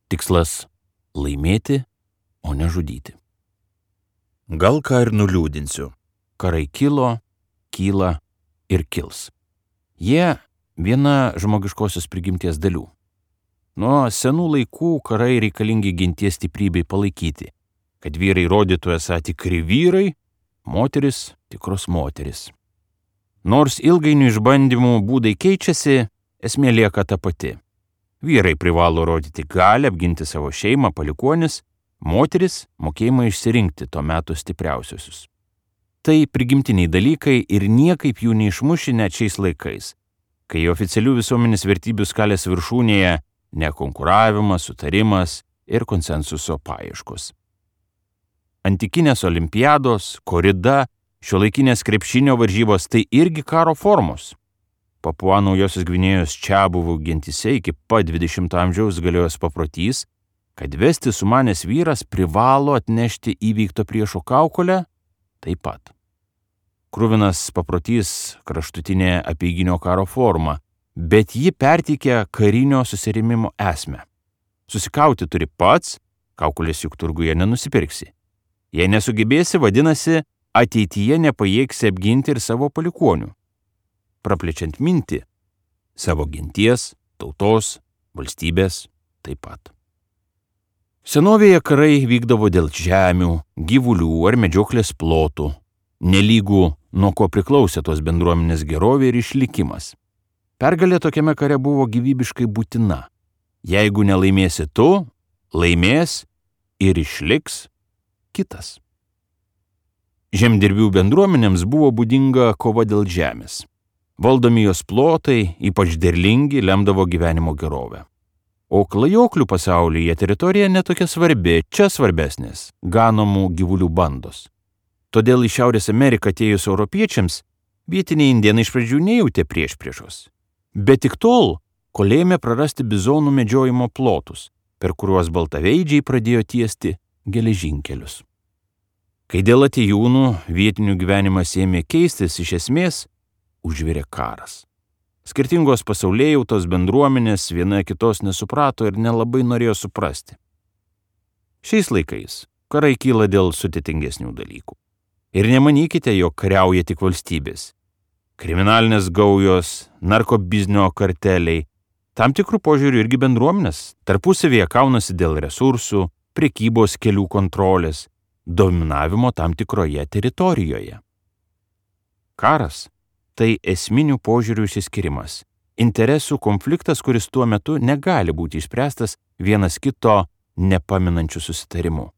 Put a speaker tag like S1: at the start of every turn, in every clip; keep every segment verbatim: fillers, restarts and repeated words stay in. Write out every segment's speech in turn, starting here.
S1: Tikslas – laimėti, o ne žudyti. Gal ką ir nuliūdinsiu. Karai kilo, kyla ir kils. Jie viena žmogiškosios prigimties dalių. Nuo senų laikų karai reikalingi ginties stiprybei palaikyti, kad vyrai rodytų esą tikri vyrai, moteris tikros moteris. Nors ilgainiui išbandymų būdai keičiasi, esmė lieka ta pati. Vyrai privalo rodyti galią, apginti savo šeimą, palikuonis, moteris mokėjimą išsirinkti to meto stipriausiusius. Tai prigimtiniai dalykai ir niekaip jų neišmuši net šiais laikais, kai oficialių visuomenės vertybių skalės viršūnėje nekonkuravimas, sutarimas ir konsensuso paieškos. Antikinės olimpiados, korida, šiuolaikinės krepšinio varžybos tai irgi karo formos. Papua Naujosios Gvinėjos čiabuvų gentyse iki pat dvidešimto amžiaus galiojęs paprotys, kad vesti sumanęs vyras privalo atnešti įveikto priešo kaukolę taip pat. Kruvinas paprotys kraštutinė apeiginio karo forma, bet ji perteikia karinio susirėmimo esmę. Susikauti turi pats, kaukolės juk turguje nenusipirksi. Jei nesugebėsi, vadinasi, ateityje nepajėgsi apginti ir savo palikuonių. Praplečiant mintį, savo genties, tautos, valstybės taip pat. Senovėje karai vykdavo dėl žemių, gyvulių ar medžioklės plotų, nelygų nuo ko priklausė tos bendruomenės gerovė ir išlikimas. Pergalė tokiame kare buvo gyvybiškai būtina. Jeigu nelaimėsi tu, laimės ir išliks kitas. Žemdirbių bendruomenėms buvo būdinga kova dėl žemės. Valdomi jos plotai, ypač derlingi, lemdavo gyvenimo gerovę. O klajoklių pasaulyje teritorija netokia svarbi, čia svarbesnės – ganomų gyvulių bandos. Todėl į Šiaurės Ameriką atėjus europiečiams vietiniai indėnai iš pradžių nejautė priešpriešos. Bet tik tol, kol ėmė prarasti bizonų medžiojimo plotus, per kuriuos baltaveidžiai pradėjo tiesti geležinkelius. Kai dėl atėjūnų vietinių gyvenimas ėmė keistis, iš esmės užvirė karas. Skirtingos pasaulėjautos bendruomenės viena kitos nesuprato ir nelabai norėjo suprasti. Šiais laikais karai kyla dėl sudėtingesnių dalykų. Ir nemanykite, jog kariauja tik valstybės. Kriminalinės gaujos, narkobiznio karteliai, tam tikrų požiūrių irgi bendruomenės, tarpusavėje kaunasi dėl resursų, prekybos kelių kontrolės, dominavimo tam tikroje teritorijoje. Karas tai esminių požiūrių išsiskirimas, interesų konfliktas, kuris tuo metu negali būti išspręstas vienas kito nepaminančių susitarimų.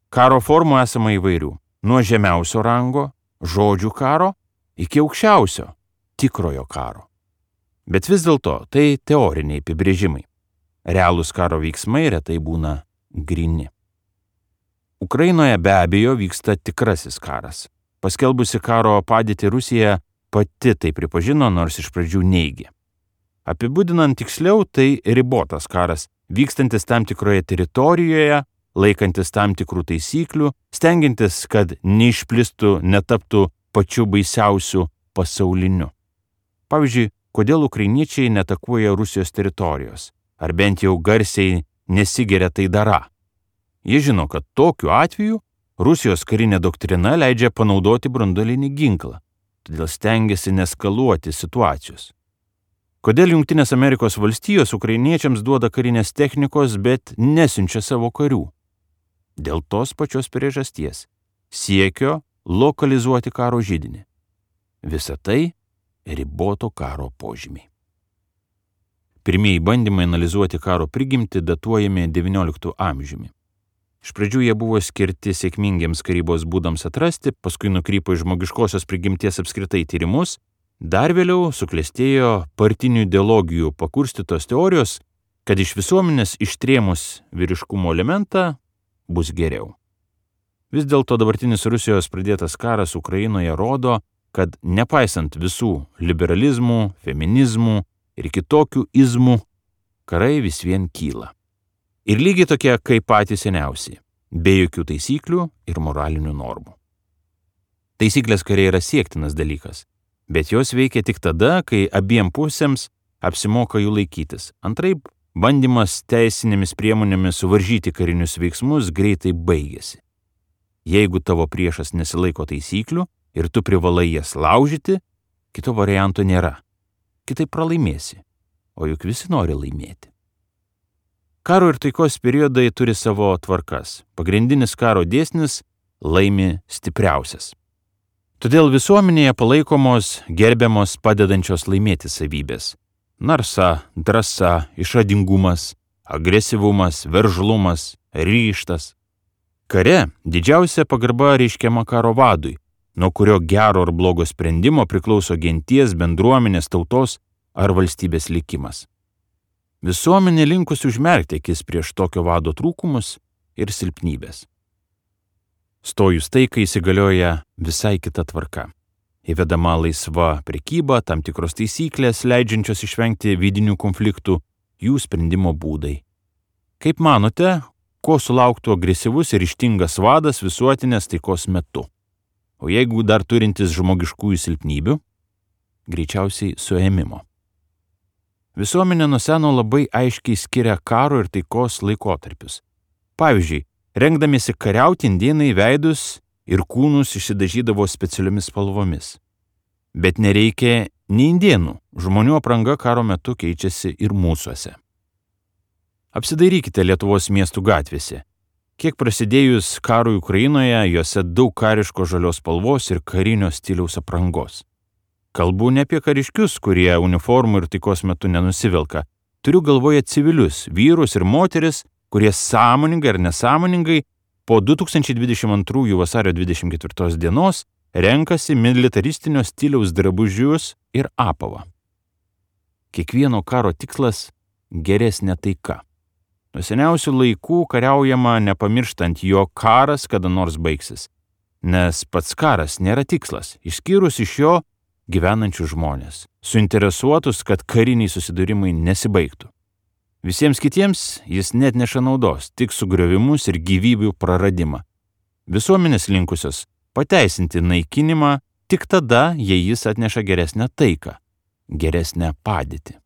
S1: Karo formų esama įvairių, nuo žemiausio rango, žodžių karo, iki aukščiausio, tikrojo karo. Bet vis dėlto tai teoriniai apibrėžimai. Realūs karo veiksmai retai būna gryni. Ukrainoje be abejo vyksta tikrasis karas. Paskelbusi karo padėtį Rusija pati tai pripažino, nors iš pradžių neigė. Apibūdinant tiksliau, tai ribotas karas, vykstantis tam tikroje teritorijoje, laikantis tam tikrų taisyklių, stengiantis, kad neišplistų, netaptų pačiu baisiausiu pasauliniu. Pavyzdžiui, kodėl ukrainiečiai netakuoja Rusijos teritorijos, ar bent jau garsiai nesigeria tai darą. Jie žino, kad tokiu atveju Rusijos karinė doktrina leidžia panaudoti branduolinį ginklą, todėl stengiasi neskaluoti situacijos. Kodėl Jungtinės Amerikos valstijos ukrainiečiams duoda karinės technikos, bet nesiunčia savo karių? Dėl tos pačios priežasties – siekio lokalizuoti karo židinį. Visa tai riboto karo požymiai. Pirmieji bandymai analizuoti karo prigimtį datuojami devynioliktu amžiumi. Iš pradžių jie buvo skirti sėkmingiems karybos būdams atrasti, paskui nukrypo į žmogiškosios prigimties apskritai tyrimus, dar vėliau suklestėjo partinių ideologijų pakurstytos teorijos, kad iš visuomenės ištrėmus vyriškumo elementą bus geriau. Vis dėlto dabartinis Rusijos pradėtas karas Ukrainoje rodo, kad nepaisant visų liberalizmų, feminizmų ir kitokių izmų, karai vis vien kyla. Ir lygiai tokie kaip patys seniausi, be jokių taisyklių ir moralinių normų. Taisyklės kariai yra siektinas dalykas, bet jos veikia tik tada, kai abiem pusėms apsimoka jų laikytis. Antraip bandymas teisinėmis priemonėmis suvaržyti karinius veiksmus greitai baigėsi. Jeigu tavo priešas nesilaiko taisyklių ir tu privalai jas laužyti, kito varianto nėra. Kitaip pralaimėsi, o juk visi nori laimėti. Karo ir taikos periodai turi savo tvarkas. Pagrindinis karo dėsnis – laimi stipriausias. Todėl visuomenėje palaikomos, gerbiamos, padedančios laimėti savybės. Narsa, drąsa, išradingumas, agresyvumas, veržlumas, ryžtas. Kare didžiausia pagarba reiškiama karo vadui, nuo kurio gero ar blogo sprendimo priklauso genties, bendruomenės, tautos ar valstybės likimas. Visuomenė linkusi užmerkti akis prieš tokio vado trūkumus ir silpnybės. Stojus taikai įsigalioja visai kita tvarka. Įvedama laisva prekyba, tam tikros taisyklės, leidžiančios išvengti vidinių konfliktų, jų sprendimo būdai. Kaip manote, ko sulauktų agresyvus ir ryžtingas vadas visuotinės taikos metu? O jeigu dar turintis žmogiškųjų silpnybių, greičiausiai suėmimo. Visuomenė nuo seno labai aiškiai skiria karo ir taikos laikotarpius. Pavyzdžiui, rengdamiesi kariauti, indėnai veidus ir kūnus išsidažydavo specialiomis spalvomis. Bet nereikia nei indėnų, žmonių apranga karo metu keičiasi ir mūsuose. Apsidairykite Lietuvos miestų gatvėse. Kiek prasidėjus karui Ukrainoje, juose daug kariško žalios spalvos ir karinio stiliaus aprangos. Kalbu ne apie kariškius, kurie uniformų ir taikos metu nenusivilka. Turiu galvoje civilius, vyrus ir moteris, kurie sąmoningai ar nesąmoningai po du tūkstančiai dvidešimt antrųjų vasario dvidešimt ketvirtos dienos renkasi militaristinio stiliaus drabužius ir apavą. Kiekvieno karo tikslas – geresnė taika. Nuo seniausių laikų kariaujama nepamirštant, jog karas kada nors baigsis, nes pats karas nėra tikslas, išskyrus iš jo gyvenančių žmonės, suinteresuotus, kad kariniai susidūrimai nesibaigtų. Visiems kitiems jis net neša naudos, tik sugriovimus ir gyvybių praradimą. Visuomenės linkusios pateisinti naikinimą tik tada, jei jis atneša geresnę taiką, geresnę padėtį.